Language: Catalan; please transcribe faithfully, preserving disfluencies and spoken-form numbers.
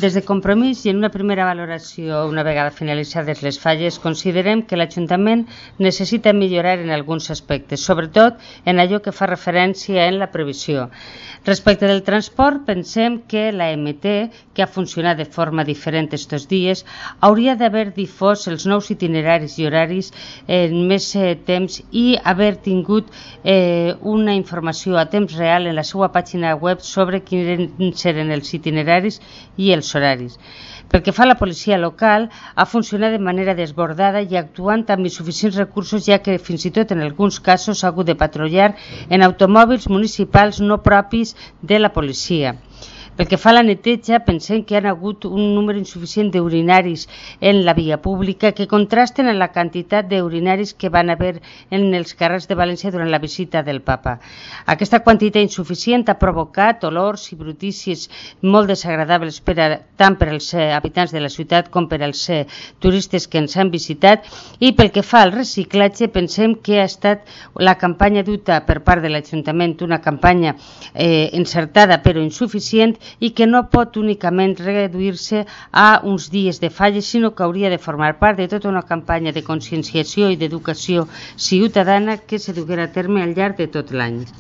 Des de Compromís i en una primera valoració, una vegada finalitzades les falles, considerem que l'Ajuntament necessita millorar en alguns aspectes, sobretot en allò que fa referència en la previsió. Respecte del transport, pensem que la M T, que ha funcionat de forma diferent estos dies, hauria d'haver difós els nous itineraris i horaris en més eh, temps i haver tingut eh, una informació a temps real en la seva pàgina web sobre quins eren els itineraris i els horaris. Pel que fa a la policia local, ha funcionat de manera desbordada i actuant amb insuficients recursos, ja que fins i tot en alguns casos ha hagut de patrullar en automòbils municipals no propis de la policia. Pel que fa a la neteja, pensem que hi ha hagut un número insuficient d'urinaris en la via pública que contrasten amb la quantitat d'urinaris que van haver en els carrers de València durant la visita del papa. Aquesta quantitat insuficient ha provocat olors i brutícies molt desagradables per a, tant per als habitants de la ciutat com per als turistes que ens han visitat, i pel que fa al reciclatge, pensem que ha estat la campanya duta per part de l'Ajuntament una campanya eh, encertada però insuficient, i que no pot únicament reduir-se a uns dies de falles, sinó que hauria de formar part de tota una campanya de conscienciació i d'educació ciutadana que se duguera a terme al llarg de tot l'any.